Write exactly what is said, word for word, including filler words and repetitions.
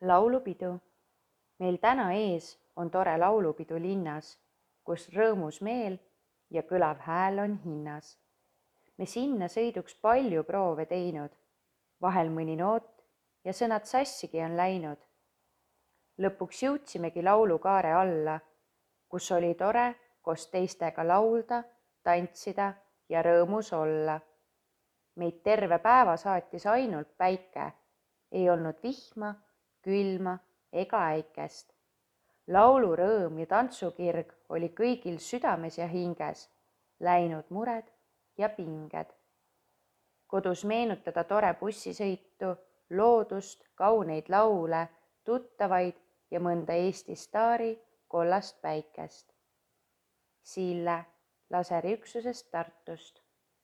Laulupidu. Meil täna ees on tore laulupidu linnas, kus rõõmus meel ja kõlav hääl on hinnas. Me sinna sõiduks palju proove teinud, vahel mõni noot ja sõnad sassigi on läinud. Lõpuks jõudsimegi laulukaare alla, kus oli tore koos teistega laulda, tantsida ja rõõmus olla. Meid terve päeva saatis ainult päike, ei olnud vihma, külma ega äikest. Laulurõõm ja tantsukirg oli kõigil südames ja hinges, läinud mured ja pinged. Kodus meenutada tore bussisõitu, loodust, kauneid laule, tuttavaid ja mõnda Eesti staari kollast päikest. Sille Laseri üksusest Tartust.